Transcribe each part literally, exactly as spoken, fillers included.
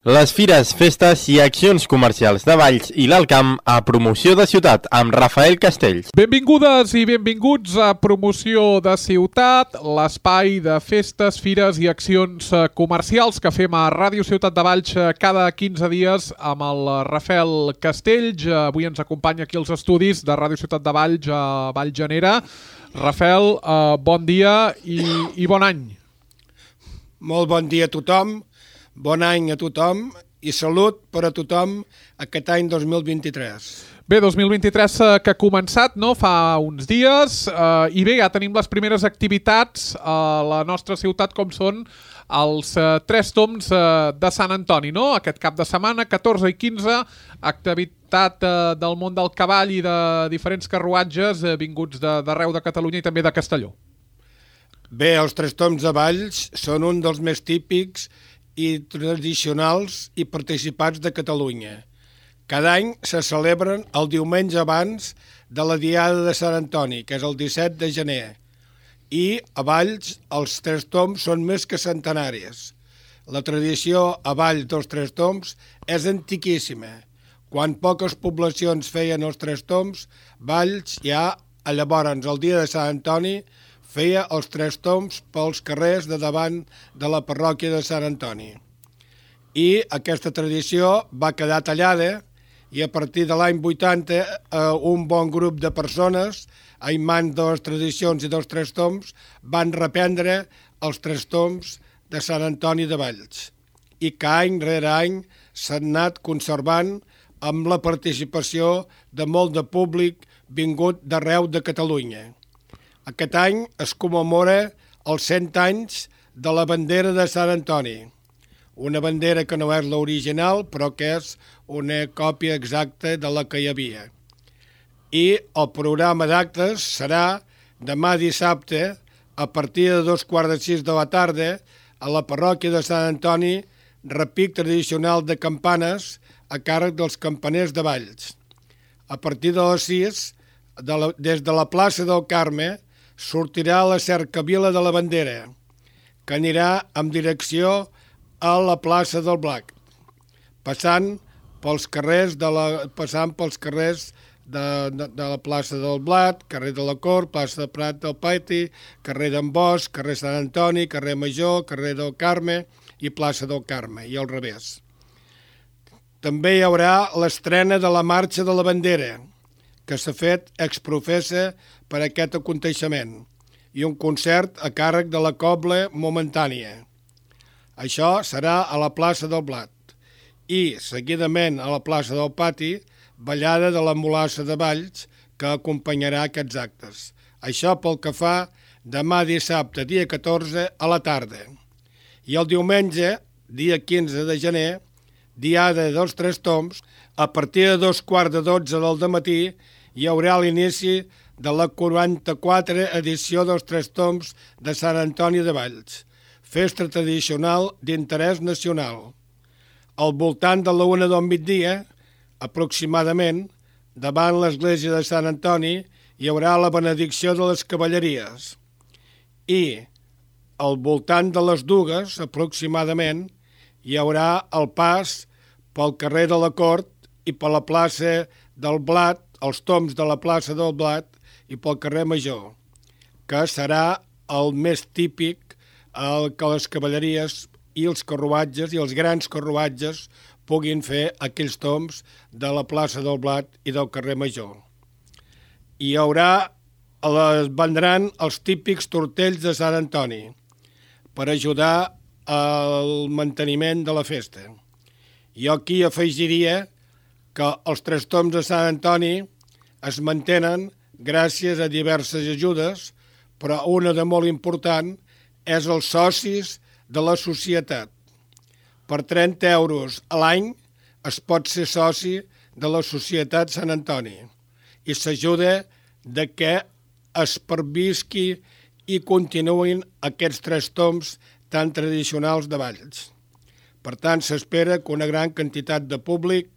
Les fires, festes i accions comercials de Valls i l'Alt Camp a Promoció de Ciutat amb Rafael Castells. Benvingudes i benvinguts a Promoció de Ciutat, l'espai de festes, fires i accions comercials que fem a Ràdio Ciutat de Valls cada quinze dies amb el Rafael Castells. Avui ens acompanya aquí als estudis de Ràdio Ciutat de Valls a Vallgenera. Rafael, eh, bon dia i, i bon any. Molt bon dia a tothom. Bon any a tothom i salut per a tothom aquest any dos mil vint-i-tres. Bé, dos mil vint-i-tres que ha començat, no?, fa uns dies, eh, i bé, ja tenim les primeres activitats a la nostra ciutat, com són els eh, Tres Tombs eh, de Sant Antoni, no? Aquest cap de setmana, catorze i quinze, activitat eh, del món del cavall i de diferents carruatges eh, vinguts d'arreu de, de Catalunya i també de Castelló. Bé, els Tres Tombs de Valls són un dels més típics i tradicionals i participats de Catalunya. Cada any se celebren el diumenge abans de la Diada de Sant Antoni, que és el disset de gener. I a Valls els Tres Tombs són més que centenaris. La tradició a Valls dels Tres Tombs és antiquíssima. Quan poques poblacions feien els Tres Tombs, Valls ja, llavors, el dia de Sant Antoni, feia els Tres Tombs pels carrers de davant de la parròquia de Sant Antoni. I aquesta tradició va quedar tallada i a partir de l'any vuitanta un bon grup de persones, en mans de les tradicions i dels Tres Tombs, van reprendre els Tres Tombs de Sant Antoni de Valls. I que any rere any s'han anat conservant amb la participació de molt de públic vingut d'arreu de Catalunya. Aquest any es commemora els cent anys de la bandera de Sant Antoni, una bandera que no és l'original, però que és una còpia exacta de la que hi havia. I el programa d'actes serà demà dissabte, a partir de dos quarts de sis de la tarda, a la parròquia de Sant Antoni, repic tradicional de campanes a càrrec dels campaners de Valls. A partir de les sis, de la, des de la plaça del Carme, sortirà la cercavila de la bandera, que anirà en direcció a la plaça del Blac, passant pels carrers de la, passant pels carrers de, de, de la plaça del Blat, carrer de la Cort, plaça de Prat del Paiti, carrer d'en Bosch, carrer Sant Antoni, carrer Major, carrer del Carme i plaça del Carme, i al revés. També hi haurà l'estrena de la Marxa de la Bandera, que s'ha fet exprofessa per aquest aconteixement, i un concert a càrrec de la Cobla Momentània. Això serà a la plaça del Blat. I, seguidament, a la plaça del Pati, ballada de la Mulassa de Valls, que acompanyarà aquests actes. Això pel que fa demà dissabte, dia catorze, a la tarda. I el diumenge, dia quinze de gener, Diada dels Tres Tombs, a partir de dos quarts de dotze del dematí, hi haurà l'inici de la quaranta-quatre edició dels Tres Tombs de Sant Antoni de Valls, festa tradicional d'interès nacional. Al voltant de la una del migdia, aproximadament, davant l'església de Sant Antoni, hi haurà la benedicció de les cavalleries. I, al voltant de les dues, aproximadament, hi haurà el pas pel carrer de la Cort i per la plaça del Blat, els tombs de la plaça del Blat i pel carrer Major, que serà el més típic el que les cavalleries i els carruatges i els grans carruatges puguin fer aquells tombs de la plaça del Blat i del carrer Major. Hi haurà, es vendran els típics tortells de Sant Antoni per ajudar al manteniment de la festa. Jo aquí afegiria que els Tres Tombs de Sant Antoni es mantenen gràcies a diverses ajudes, però una de molt important és els socis de la societat. Per trenta euros a l'any es pot ser soci de la Societat Sant Antoni i s'ajuda de que es pervisqui i continuïn aquests Tres Tombs tan tradicionals de Valls. Per tant, s'espera que una gran quantitat de públic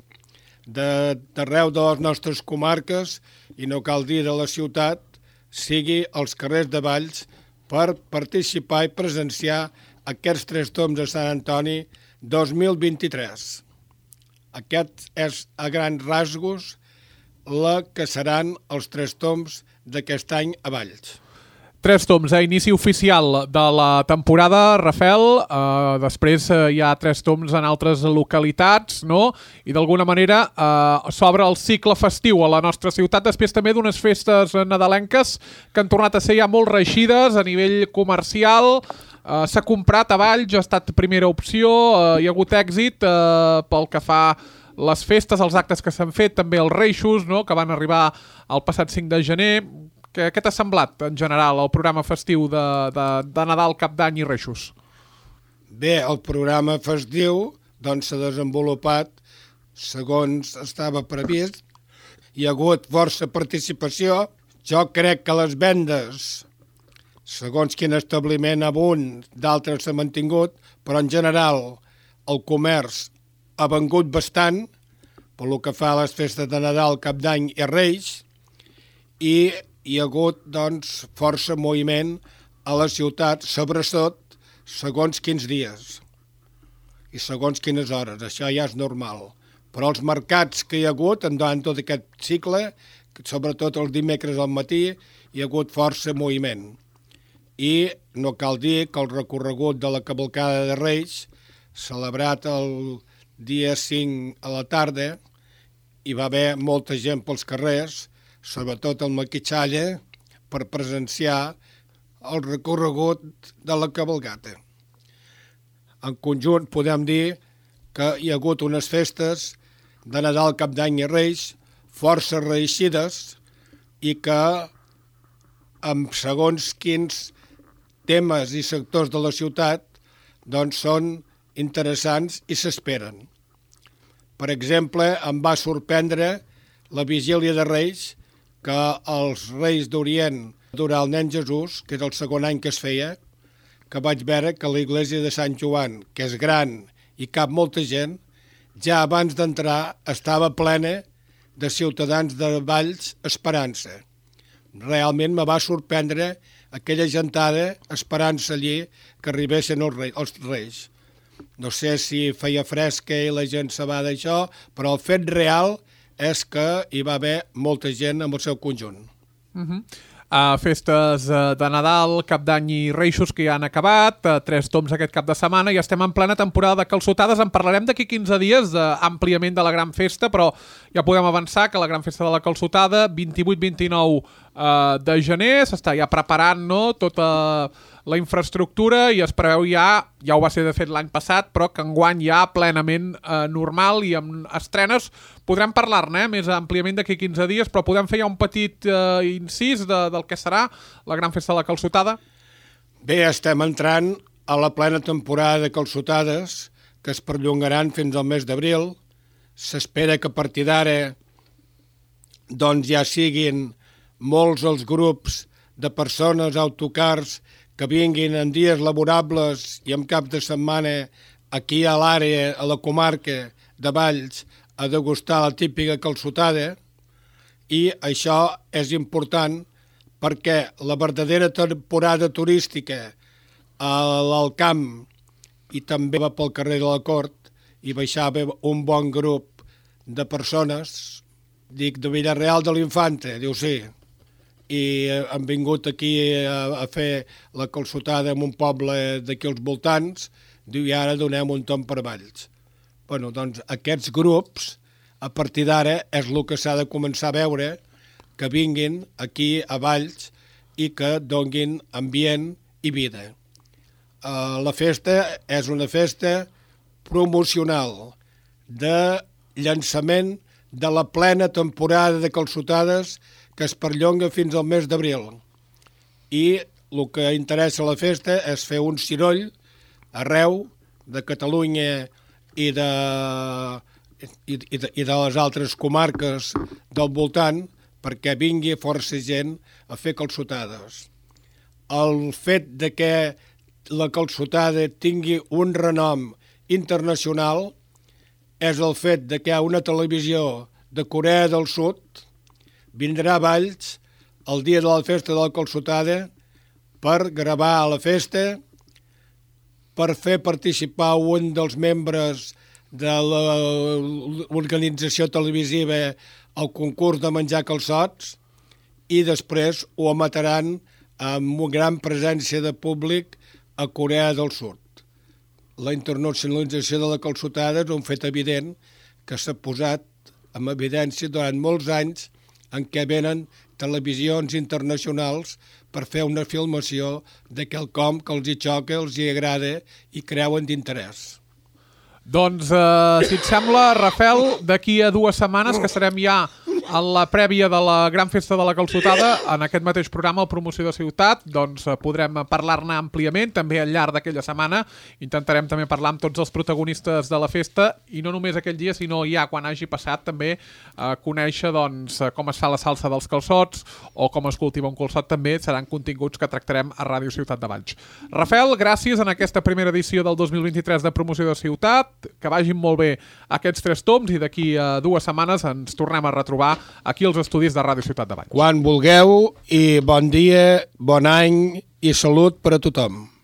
d'arreu de les nostres comarques, i no cal dir de la ciutat, sigui als carrers de Valls per participar i presenciar aquests Tres Tombs de Sant Antoni dos mil vint-i-tres. Aquest és, a grans rasgos, la que seran els tres tombs d'aquest any a Valls. Tres tombs, eh? Inici oficial de la temporada, Rafael. Uh, després uh, hi ha tres tombs en altres localitats, no? I d'alguna manera uh, s'obre el cicle festiu a la nostra ciutat, després també d'unes festes nadalenques que han tornat a ser ja molt reeixides a nivell comercial. Uh, s'ha comprat a Valls, ha estat primera opció, uh, hi ha hagut èxit uh, pel que fa les festes, els actes que s'han fet, també els reixos, no?, que van arribar el passat cinc de gener. Què, què t'ha semblat, en general, el programa festiu de, de, de Nadal, Cap d'Any i Reixos? Bé, el programa festiu doncs, s'ha desenvolupat segons estava previst. Hi ha hagut força participació. Jo crec que les vendes, segons quin establiment a un, d'altres s'ha mantingut, però en general el comerç ha vengut bastant, pel que fa a les festes de Nadal, Cap d'Any i Reis, i hi ha hagut doncs, força moviment a la ciutat, sobretot segons quins dies i segons quines hores. Això ja és normal. Però els mercats que hi ha hagut durant tot aquest cicle, sobretot els dimecres al matí, hi ha hagut força moviment. I no cal dir que el recorregut de la cavalcada de Reis, celebrat el dia cinc a la tarda, hi va haver molta gent pels carrers, sobretot el maquitxalla, per presenciar el recorregut de la cavalcata. En conjunt podem dir que hi ha hagut unes festes de Nadal, Cap d'Any i Reis força reeixides i que amb segons quins temes i sectors de la ciutat doncs són interessants i s'esperen. Per exemple, em va sorprendre la vigília de Reis, que els Reis d'Orient durant el nen Jesús, que és el segon any que es feia, que vaig veure que la iglesia de Sant Joan, que és gran i cap molta gent, ja abans d'entrar estava plena de ciutadans de Valls esperant-se. Realment me va sorprendre aquella gentada esperant-se allí que arribessin els reis, els reis. No sé si feia fresca i la gent se va d'això, però el fet real és que hi va haver molta gent amb el seu conjunt. Uh-huh. Uh, festes uh, de Nadal, Cap d'Any i Reixos que ja han acabat, uh, tres tombs aquest cap de setmana i estem en plena temporada de calçotades. En parlarem d'aquí quinze dies d'àmpliament de la gran festa, però ja podem avançar que la gran festa de la calçotada, vint-i-vuit vint-i-nou uh, de gener, s'està ja preparant, no?, tota la infraestructura i es preveu ja, ja ho va ser de fet l'any passat, però que enguany ja plenament eh, normal i amb estrenes. Podrem parlar-ne eh, més àmpliament d'aquí quinze dies, però podem fer ja un petit eh, incís de, del que serà la gran festa de la calçotada? Bé, estem entrant a la plena temporada de calçotades que es perllongaran fins al mes d'abril. S'espera que a partir d'ara doncs ja siguin molts els grups de persones, autocars, que vinguin en dies laborables i en cap de setmana aquí a l'àrea, a la comarca de Valls, a degustar la típica calçotada, i això és important perquè la verdadera temporada turística a l'Alcamp i també va pel carrer de la Cort i baixava un bon grup de persones, dic de Villarreal de l'Infanta, diu sí, i han vingut aquí a, a fer la calçotada en un poble d'aquí als voltants, diu, i ara donem un tom per Valls. Bueno, doncs aquests grups, a partir d'ara, és el que s'ha de començar a veure, que vinguin aquí a Valls i que donguin ambient i vida. Uh, la festa és una festa promocional de llançament de la plena temporada de calçotades que es perllonga fins al mes d'abril. I el que interessa a la festa és fer un ciroll arreu de Catalunya i de, i, i de, i de les altres comarques del voltant perquè vingui força gent a fer calçotades. El fet de que la calçotada tingui un renom internacional és el fet de que hi ha una televisió de Corea del Sud vindrà a Valls el dia de la festa de la calçotada per gravar a la festa per fer participar un dels membres de l'organització televisiva al concurs de menjar calçots i després ho emetaran amb una gran presència de públic a Corea del Sud. La internacionalització de la calçotada és un fet evident que s'ha posat en evidència durant molts anys en què venen televisions internacionals per fer una filmació de quelcom que els hi xoca, els hi agrada i creuen d'interès. Doncs, eh, si et sembla, Rafel, d'aquí a dues setmanes, que serem ja a la prèvia de la gran festa de la calçotada, en aquest mateix programa, el Promoció de Ciutat, doncs podrem parlar-ne àmpliament, també al llarg d'aquella setmana. Intentarem també parlar amb tots els protagonistes de la festa, i no només aquell dia, sinó ja quan hagi passat també eh, conèixer doncs, com es fa la salsa dels calçots o com es cultiva un calçot. També seran continguts que tractarem a Ràdio Ciutat de Valls. Rafel, gràcies en aquesta primera edició del dos mil vint-i-tres de Promoció de Ciutat, que vagin molt bé aquests tres toms i d'aquí a dues setmanes ens tornem a retrobar aquí als estudis de Ràdio Ciutat de Valls. Quan vulgueu i bon dia, bon any i salut per a tothom.